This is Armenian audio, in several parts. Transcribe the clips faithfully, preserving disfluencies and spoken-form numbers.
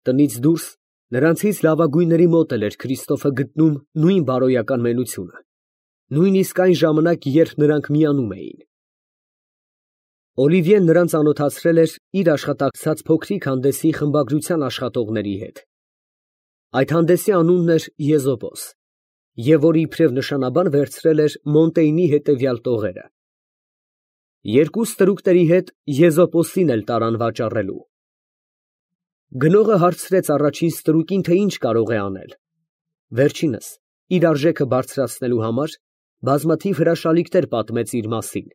Տնից դուրս նրանցից լավագույնների մոտ էլ էր Քրիստոֆը գտնում նույն բարոյական մենությունը, նույնիսկ այն ժամանակ, երբ նրանք միանում էին։ Օլիվիեն նրան ծանոթացրել էր իր աշխատակցած փոքրիկ հանդեսի խմբագրության աշխատողների հետ։ Այդ հանդեսի անունն էր Եզոպոս, և որ իբրև նշանաբան վերցրել էր Մոնտեյնի հետևյալ տողերը։ Երկու ստրուկների հետ Եզոպոսին էլ տարան վաճառելու։ Գնողը հարցրեց առաջին ստրուկին, թե ինչ կարող է անել։ Վերջինս, իր արժեքը բարձրացնելու համար, բազմաթիվ հրաշալիքներ պատմեց իր մասին։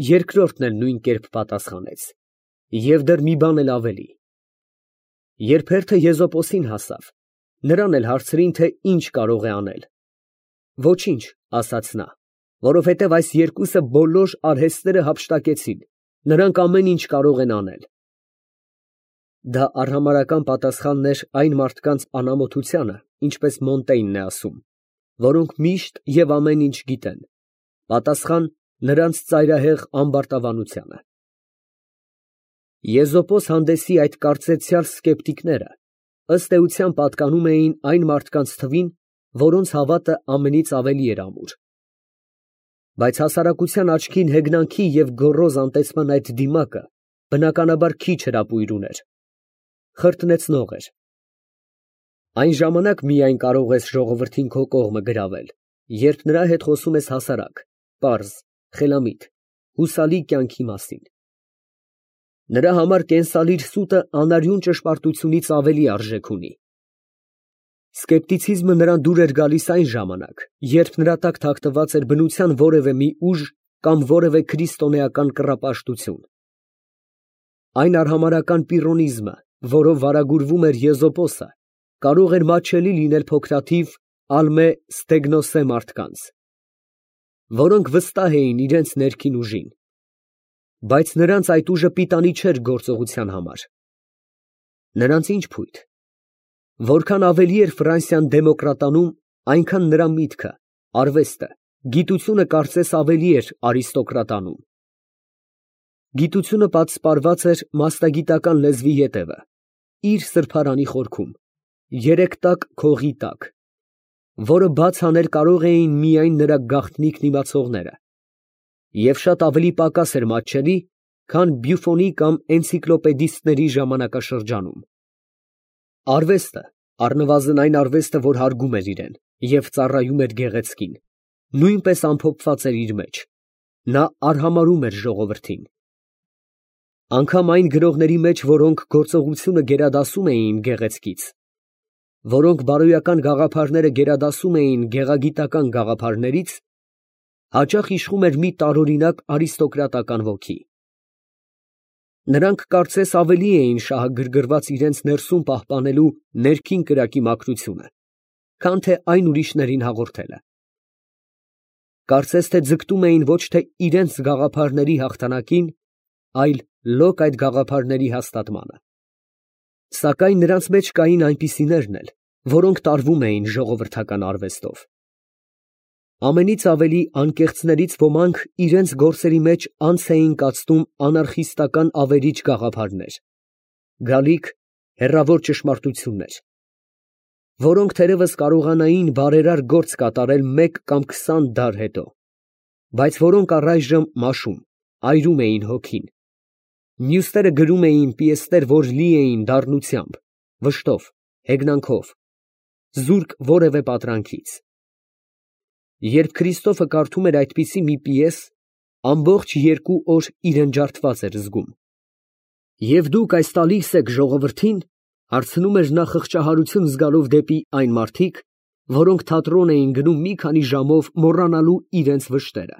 Երկրորդն էլ նույն կերպ պատասխանեց, և դեռ մի բան էլ ավելի։ Երբ հերթը Եզոպոսին հասավ, նրան էլ հարցրին, թե ինչ կարող է անել։ Ոչինչ, ասաց նա, որովհետև այս երկուսը բոլոր արհեստները հափշտակեցին, նրանք ամեն ինչ կարող են անել։ Դա արհամարհական պատասխանն էր այն մարդկանց անամոթությանը, ինչպես Մոնտեյնն է ասում, որոնք միշտ և ամեն ինչ գիտեն, պատասխան նրանց ծայրահեղ ամբարտավանությանը։ Եզոպոս հանդեսի այդ կարծեցյալ սկեպտիկները ըստ էության պատկանում էին այն մարդկանց թվին, որոնց հավատը ամենից ավելի էր ամուր։ Բայց հասարակության աչքին հեգնանքի և գոռոզ անտեսման այդ դիմակը բնականաբար քիչ հրապույր ուներ, խրտնեցնող էր։ Այն ժամանակ միայն կարող ես ժողովրդին քո կողմը գրավել, երբ նրա հետ խոսում ես հասարակ, պարզ, խելամիտ, հուսալի կյանքի մասին։ Նրա համար կենսալիր սուտը անարյուն ճշմարտությունից ավելի արժեք ունի։ Սկեպտիցիզմը նրան դուր էր գալիս այն ժամանակ, երբ նրա տակ թաքնված էր բնության որևէ մի ուժ կամ որևէ քրիստոնեական կռապաշտություն։ Այն արհամարհական պիրոնիզմը, որով վարագուրվում էր Եզոպոսը, կարող էր մատչելի լինել փոքրաթիվ ալմե ստեգնոսե մարդկանց, որոնք վստահ էին իրենց ներքին ուժին, բայց նրանց այդ ուժը պիտանի չէր գործողության համար։ Նրանց ինչ փույթ։ Որքան ավելի էր Ֆրանսիան դեմոկրատանում, այնքան նրա միտքը, արվեստը, գիտությունը կարծես ավելի էր արիստոկրատանում։ Գիտությունը պատսպարված էր մասնագիտական լեզվի ետևը, իր սրբարանի խորքում, երեք տակ քողի տակ, որը բաց անել կարող էին միայն նրա գաղտնիքն իմացողները, և շատ ավելի պակաս էր մատչելի, քան Բյուֆոնի կամ էնցիկլոպեդիստների ժամանակաշրջանում։ Արվեստը, առնվազն այն արվեստը, որ հարգում էր իրեն և ծառայում էր գեղեցկին, նույնպես ամփոփված էր իր մեջ, նա արհամարհում էր ժողովրդին։ Անգամ այն գրողների մեջ, որոնք գործողությունը գերադասում էին գեղեցկից, որոնք բարոյական գաղափարները գերադասում էին գեղագիտական գաղափարներից, հաճախ իշխում էր մի տարօրինակ արիստոկրատական ոգի։ Նրանք կարծես ավելի էին շահագրգռված իրենց ներսում պահպանելու ներքին կրակի մաքրությունը, քան թե այն ուրիշներին հաղորդելը։ Կարծես թե ձգտում էին ոչ թե իրենց գաղափարների հաղթանակին, այլ լոկ այդ գաղափարների հաստատմանը։ Սակայն նրանց մեջ կային այնպիսիներն էլ, որոնք տարվում էին ժողովրդական արվեստով։ Ամենից ավելի անկեղծներից ոմանք իրենց գործերի մեջ անց էին կացնում անարխիստական ավերիչ գաղափարներ, գալիք, հեռավոր ճշմարտություններ, որոնք թերևս կարողանային բարերար գործ կատարել մեկ կամ քսան դար հետո, բայց որոնք առայժմ մաշում, այրում էին հոգին։ Մյուսները գրում էին պիեսներ, որ լի էին դառնությամբ, վշտով, հեգնանքով, զուրկ որևէ պատրանքից։ Երբ Քրիստոֆը կարդում էր այդպիսի մի պիես, ամբողջ երկու օր իրեն ջարդված էր զգում։ Եվ դուք այս տալիս եք ժողովրդին, հարցնում էր նա խղճահարություն զգալով դեպի այն մարդիկ, որոնք թատրոն էին գնում մի քանի ժամով մոռանալու իրենց վշտերը,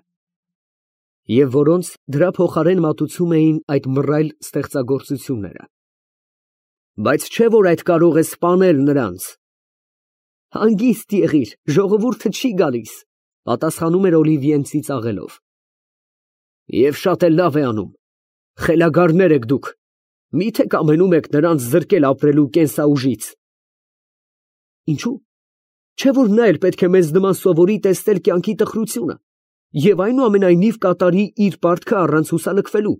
և որոնց դրա փոխարեն մատուցում էին այդ մռայլ ստեղծագործությունները։ Բայց չէ՞ որ այդ կարող է սպանել նրանց։ Հանգիստ եղիր, ժողովուրդը չի գալիս, պատասխանում էր Օլիվիեն ծիծաղելով։ Եվ շատ էլ լավ է անում, խելագարներ եք դուք, մի՞թե կամենում եք նրանց զրկել ապրելու կենսաուժից։ Ինչո՞ւ, չէ՞ որ նա էլ պետք է մեզ նման սովորի տեսնել կյանքի տխրությունը և այնուամենայնիվ կատարի իր պարտքը առանց հուսալքվելու։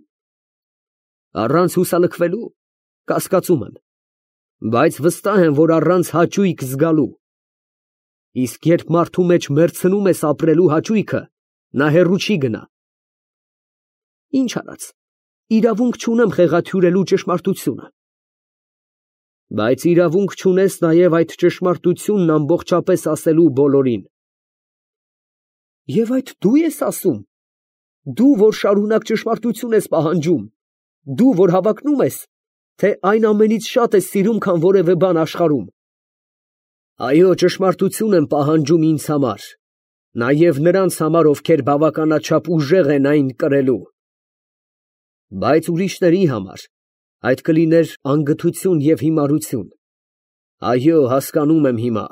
Առանց հուսալքվելու, կասկածում եմ, բայց վստահ եմ, որ առանց հաճույք զգալու։ Իսկ երբ մարդու մեջ մեռցնում ես ապրելու հաճույքը, նա հեռու չի գնա։ Ինչ արած, իրավունք չունեմ խեղաթյուրելու ճշմարտությունը։ Բայց իրավունք չունես նաև այդ ճշմարտությունն ամբողջապես ասելու բոլորին։ Եվ այդ դու ես ասում, դու, որ շարունակ ճշմարտություն ես պահանջում, դու, որ հավակնում ես, թե այն ամենից շատ ես սիրում, քան որևէ բան աշխարհում։ Այո, ճշմարտություն եմ պահանջում ինձ համար, նաև նրանց համար, ովքեր բավականաչափ ուժեղ են այն կրելու։ Բայց ուրիշների համար այդ կլիներ անգթություն և հիմարություն։ Այո, հասկանում եմ հիմա։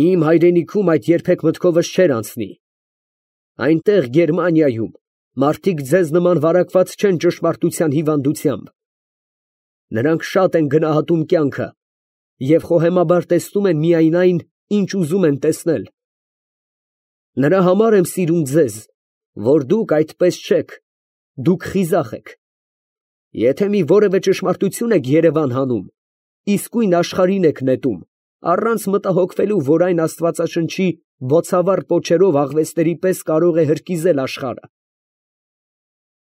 Իմ հայրենիքում այդ երբեք մտքովս չէր անցնի։ Այնտեղ Գերմանիայում մարդիկ ձեզ նման վարակված չեն ճշմարտության հիվանդությամբ։ Նրանք շատ են գնահատում կյանքը և խոհեմաբար տեսնում են միայն այն, ինչ ուզում են տեսնել։ Նրա համար եմ սիրում ձեզ, որ դուք այդպես չեք, դուք խիզախ եք։ Եթե մի որևէ ճշմարտություն եք երևան հանում, իսկույն աշխարհին եք նետում, առանց մտահոգվելու, որ այն աստվածաշնչի բոցավառ պոչերով աղվեսների պես կարող է հրկիզել աշխարհը։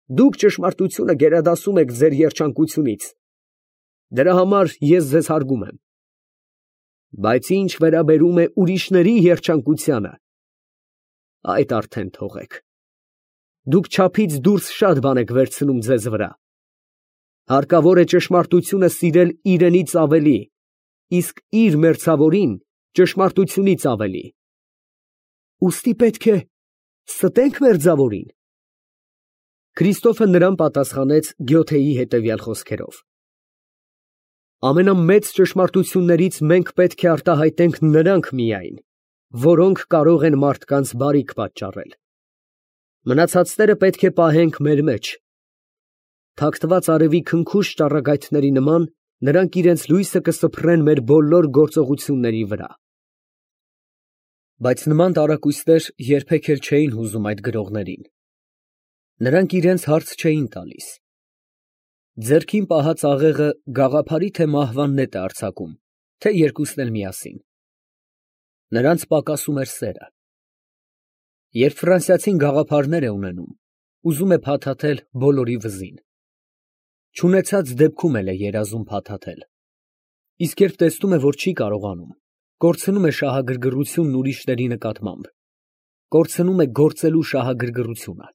Դուք ճշմարտությունը գերադասում եք ձեր երջանկությունից։ Դրա համար ես ձեզ հարգում եմ։ Բայց ինչ վերաբերում է ուրիշների երջանկությանը, այդ արդեն թողեք։ Դուք չափից դուրս շատ բան եք վերցնում ձեզ վրա։ Հարկավոր է ճշմարտությունը սիրել իրենից ավելի, իսկ իր մերձավորին ճշմարտությունից ավելի։ Ուստի պետք է ստենք մերձավորին։ Քրիստոֆը նրան պատասխանեց Գյոթեի հետևյալ խոսքերով. ամենամեծ ճշմարտություններից մենք պետք է արտահայտենք նրանք միայն, որոնք կարող են մարդկանց բարիք պատճառել։ Մնացածները պետք է պահենք մեր մեջ։ Թաքթված արևի քնքուշ ճառագայթների նման նրանք իրենց լույսը կսփռեն մեր բոլոր գործողությունների վրա։ Բայց նման տարակույսներ երբեք էլ չէին հուզում այդ գրողներին։ Նրանք իրենց հարց չէին տալիս։ Ձեռքին պահած աղեղը գաղափարի թե մահվան նետ է արձակում, թե երկուսն էլ միասին։ Նրանց պակասում էր սերը։ Երբ ֆրանսիացին գաղափարներ է ունենում, ուզում է փաթաթել բոլորի վզին։ Չունեցած դեպքում էլ է երազում փաթաթել։ Իսկ երբ տեսնում է, որ չի կարողանում, կորցնում է շահագրգռությունն ուրիշների նկատմամբ, կորցնում է գործելու շահագրգռությունը։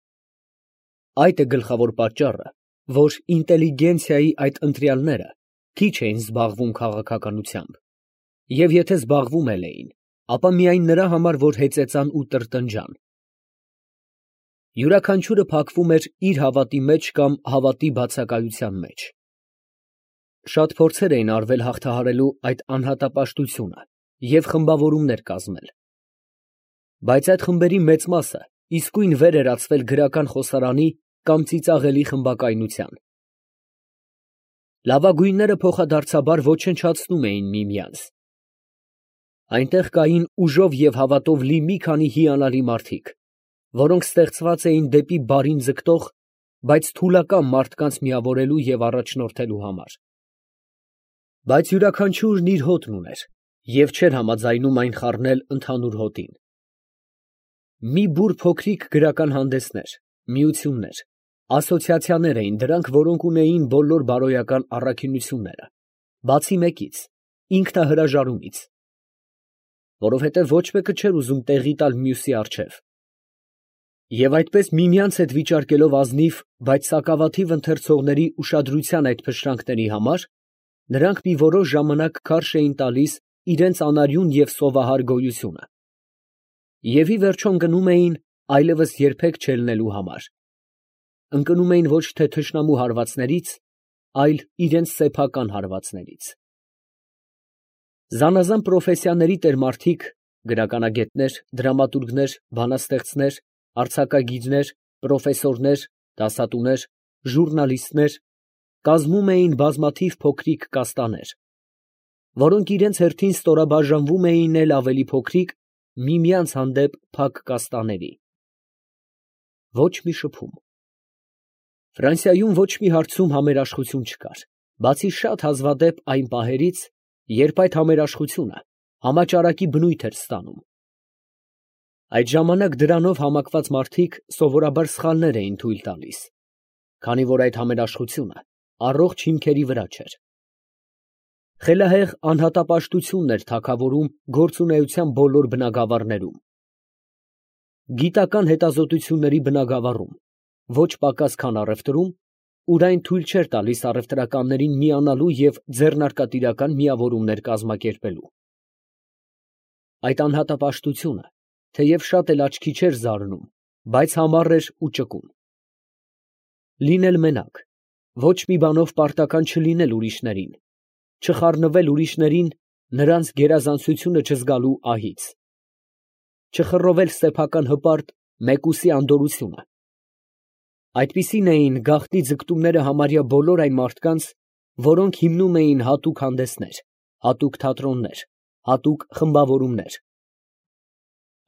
Այդ է գլխավոր պատճառը, որ ինտելիգենցիայի այդ ընտրյալները քիչ էին զբաղվում քաղաքականությամբ, և եթե զբաղվում էլ էին, ապա միայն նրա համար, որ հեծեծան ու տրտնջան։ Յուրաքանչյուրը փակվում էր իր հավատի մեջ կամ հավատի բացակայության մեջ։ Շատ փորձեր էին արվել հաղթահարելու այդ անհատապաշտությունը և խմբավորումներ կազմել։ Բայց այդ խմբերի մեծ մասը իսկույն վեր էր ածվել գրական խոսարանի կամ ծիծաղելի խմբակայնության։ Լավագույնները փոխադարձաբար ոչնչացնում էին միմյանց։ Այնտեղ կային ուժով և հավատով լի մի քանի հիանալի մարդիկ, որոնք ստեղծված էին դեպի բարին ձգտող, բայց թուլակամ մարդկանց միավորելու և առաջնորդելու համար։ Բայց յուրաքանչյուրն իր հոտն ուներ և չէր համաձայնում այն խառնել ընդհանուր հոտին։ Մի բուռ փոքրիկ գրական հանդեսներ, միություններ, ասոցիացիաներ էին դրանք, որոնք ունեին բոլոր բարոյական առաքինությունները, բացի մեկից՝ ինքնահրաժարումից, որովհետև ոչ մեկը չէր ուզում տեղի տալ մյուսի առջև։ Եվ այդպես միմյանց հետ վիճարկելով ազնիվ, բայց սակավաթիվ ընթերցողների ուշադրության այդ փշրանքների համար, նրանք մի որոշ ժամանակ քարշ էին տալիս իրենց անարյուն և սովահար գոյությունը, և ի վերջո ընկնում էին այլևս երբեք չելնելու համար, ընկնում էին ոչ թե թշնամու հարվածներից, այլ իրենց սեփական հարվածներից։ Զանազան պրոֆեսիաների տերմարդիկ, գրականագետներ, դրամատուրգներ, բանաստեղծներ, արձակագիրներ, պրոֆեսորներ, դասատուներ, ժուռնալիստներ կազմում էին բազմաթիվ փոքրիկ կաստաներ, որոնք իրենց հերթին ստորաբաժանվում էին էլ ավելի փոքրիկ, միմյանց հանդեպ փակ կաստաների։ Ոչ մի շփում։ Ֆրանսիայում ոչ մի հարցում համերաշխություն չկար, բացի շատ հազվադեպ այն պահերից, երբ այդ համերաշխությունը համաճարակի բնույթ էր ստանում։ Այդ ժամանակ դրանով համակված մարդիկ սովորաբար սխալներ էին թույլ տալիս, քանի որ այդ համերաշխությունը առողջ հիմքերի վրա չէր։ Խելահեղ անհատապաշտությունն էր թագավորում գործունեության բոլոր բնագավառներում։ Գիտական հետազոտությունների բնագավառում, ոչ պակաս քան առևտրում, ուր այն թույլ չէր տալիս առևտրականներին միանալու և ձեռնարկատիրական միավորումներ կազմակերպելու։ Այդ անհատապաշտությունը, թեև շատ էլ աչքի չէր զարնում, բայց համառ էր ու ճկուն։ Լինել մենակ, ոչ մի բանով պարտական չլինել ուրիշներին, չխառնվել ուրիշներին նրանց գերազանցությունը չզգալու ահից, չխռովել սեփական հպարտ մեկուսի անդորրությունը։ Այդպիսին էին գաղտնի ձգտումները համարյա բոլոր այն մարդկանց, որոնք հիմնում էին հատուկ հանդեսներ, հատուկ թատրոններ, հատուկ խմբավորումներ։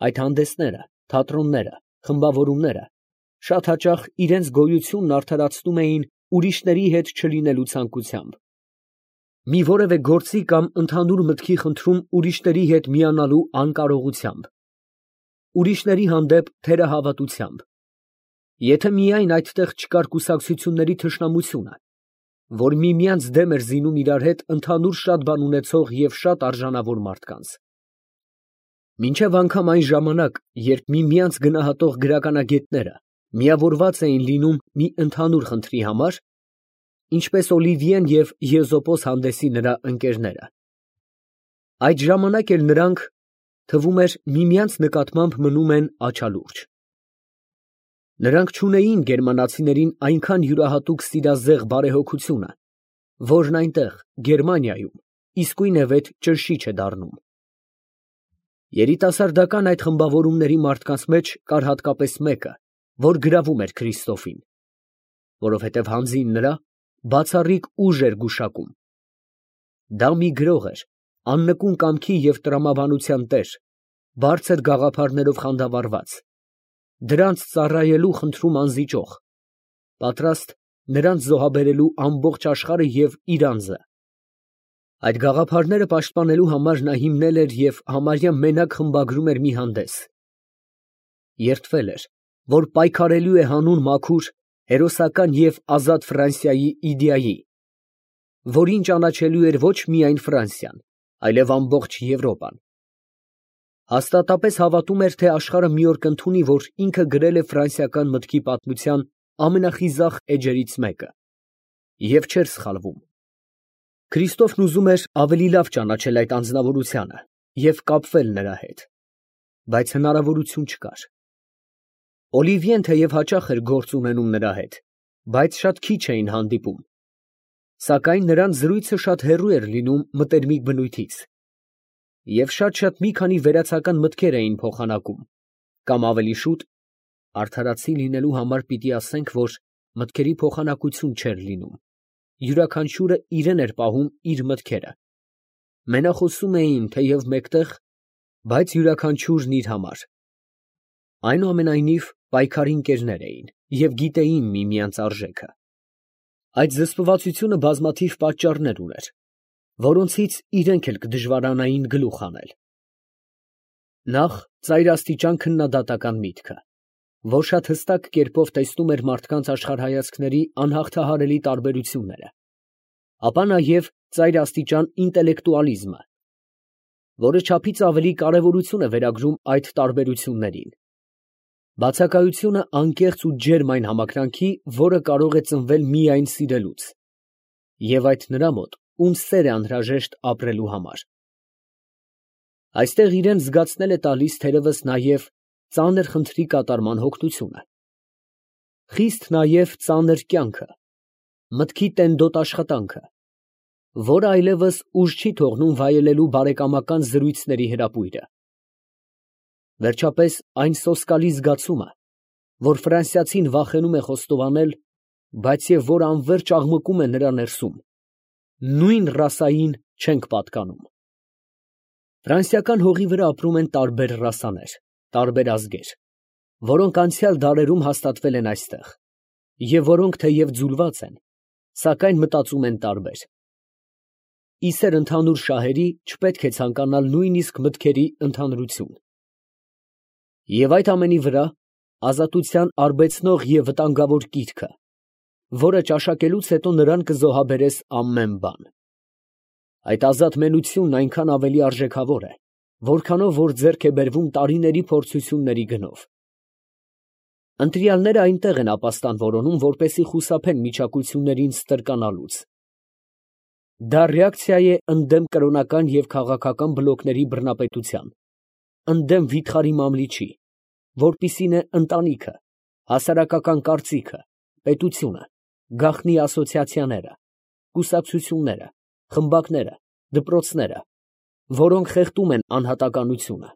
Այդ հանդեսները, թատրոնները, խմբավորումները շատ հաճախ իրենց գոյությունն արդարացնում էին ուրիշների հետ չլինելու ցանկությամբ, մի որևէ գործի կամ ընդհանուր մտքի խնդրում ուրիշների հետ միանալու անկարողությամբ, ուրիշների հանդեպ թերահավատությամբ, եթե միայն այդտեղ չկար կուսակցությունների թշնամությունը, որ միմյանց դեմ էր զինում իրար հետ ընդհանուր շատ բան ունեցող և շատ արժանավոր մարդկանց։ Մինչև անգամ այն ժամանակ, երբ միմյանց գնահատող գրականագետները միավորված էին լինում մի ընդհանուր խնդրի համար, ինչպես Օլիվիեն և Եզոպոս հանդեսի նրա ընկերները, այդ ժամանակ էլ նրանք, թվում էր, միմյանց նկատմամբ մնում են աչալուրջ։ Նրանք չունեին գերմանացիներին այնքան յուրահատուկ սիրազեղ բարեհոգությունը, որն այնտեղ, Գերմանիայում, իսկույնևեթ ճնշիչ է դառնում։ Երիտասարդական այդ խմբավորումների մարդկանց մեջ կար հատկապես մեկը, որ գրավում էր Քրիստոֆին, որովհետև հանձին նրա բացառիկ ուժ էր գուշակում։ Դա մի գրող էր, աննկուն կամքի և տրամաբանության տեր, բարձր գաղափարներով խանդավառված, դրանց ծառայելու խնդրում անզիջող, պատրաստ նրանց զոհաբերելու ամբողջ աշխարհը և իր անձը։ Այդ գաղափարները պաշտպանելու համար նա հիմնել էր և համարյա մենակ խմբագրում էր մի հանդես։ Երդվել էր, որ պայքարելու է հանուն մաքուր, հերոսական և ազատ Ֆրանսիայի իդեայի, որին ճանաչելու էր ոչ միայն Ֆրանսիան, այլև ամբողջ Եվրոպան։ Հաստատապես հավատում էր, թե աշխարհը մի օր կընդունի, որ ինքը գրել է ֆրանսիական մտքի պատմության ամենախիզախ էջերից մեկը, և չէր սխալվում։ Քրիստոֆն ուզում էր ավելի լավ ճանաչել այդ անձնավորությանը և կապվել նրա հետ, բայց հնարավորություն չկար։ Օլիվիեն թեև հաճախ էր գործ ունենում նրա հետ, բայց շատ քիչ էին հանդիպում, սակայն նրանց զրույցը շատ հեռու էր լինում մտերմիկ բնույթից, և շատ-շատ մի քանի վերացական մտքեր էին փոխանակում, կամ ավելի շուտ, արդարացի լինելու համար պիտի ասենք, որ մտքերի փոխանակություն չէր լինում, յուրաքանչյուրը իրեն էր պահում իր մտքերը, մենախոսում էին թեև մեկտեղ, բայց յուրաքանչյուրն իր համար։ Այնուամենայնիվ, պայքարի ընկերներ էին և գիտեին միմյանց արժեքը։ Այդ զսպվածությունը բազմաթիվ պատճառներ ուներ, որոնցից իրենք էլ կդժվարանային գլուխ հանել։ Նախ ծայրաստիճան քննադատական միտքը, որ շատ հստակ կերպով տեսնում էր մարդկանց աշխարհայացքների անհաղթահարելի տարբերությունները, ապա նաև ծայրաստիճան ինտելեկտուալիզմը, որը չափից ավելի կարևորություն է վերագրում այդ տարբերություններին, բացակայությունը անկեղծ ու ջերմ այն համակրանքի, որը կարող է ծնվել միայն սիրելուց, և այդ նրա մոտ, ում սեր է անհրաժեշտ ապրելու համար։ Այստեղ իրան զգացնել է տալիս թերևս նաև ծանր խնդրի կատարման հոգնությունը, խիստ նաև ծանր կյանքը, մտքի տենդոտ աշխատանքը, որը այլևս ուժ չի թողնում վայելելու բարեկամական զրույցների հրապույրը։ Վերջապես այն սոսկալի զգացումը, որ ֆրանսիացին վախենում է խոստովանել, բայց և որ անվերջ աղմկում է նրա ներսում, նույն ռասային չենք պատկանում։ Ֆրանսիական հողի վրա ապրում են տարբեր ռասաներ, տարբեր ազգեր, որոնք անցյալ դարերում հաստատվել են այստեղ, և որոնք թեև ձուլված են, սակայն մտածում են տարբեր։ Իսեր ընդհանուր շահերի չպետք է ցանկանալ նույնիսկ մտքերի ընդհանրություն։ Եվ այդ ամենի վրա ազատության արբեցնող և վտանգավոր կիրքը, որը ճաշակելուց հետո նրան կզոհաբերես ամեն բան։ Այդ ազատ մենությունն այնքան ավելի արժեքավոր է, որքանով որ ձեռք է բերվում տարիների փորձությունների գնով։ Ընտրյալները այնտեղ են ապաստան որոնում, որպեսզի խուսափեն միջակայություններին ստրկանալուց։ Դա ռեակցիա է ընդդեմ կրոնական և քաղաքական բլոկների բռնապետության, ընդդեմ վիթխարի մամլիչի, որպիսին է ընտանիքը, հասարակական կարծիքը, պետությունը, գաղտնի ասոցիացիաները, կուսակցությունները, խմբակները, դպրոցները, որոնք խեղդում են անհատականությունը։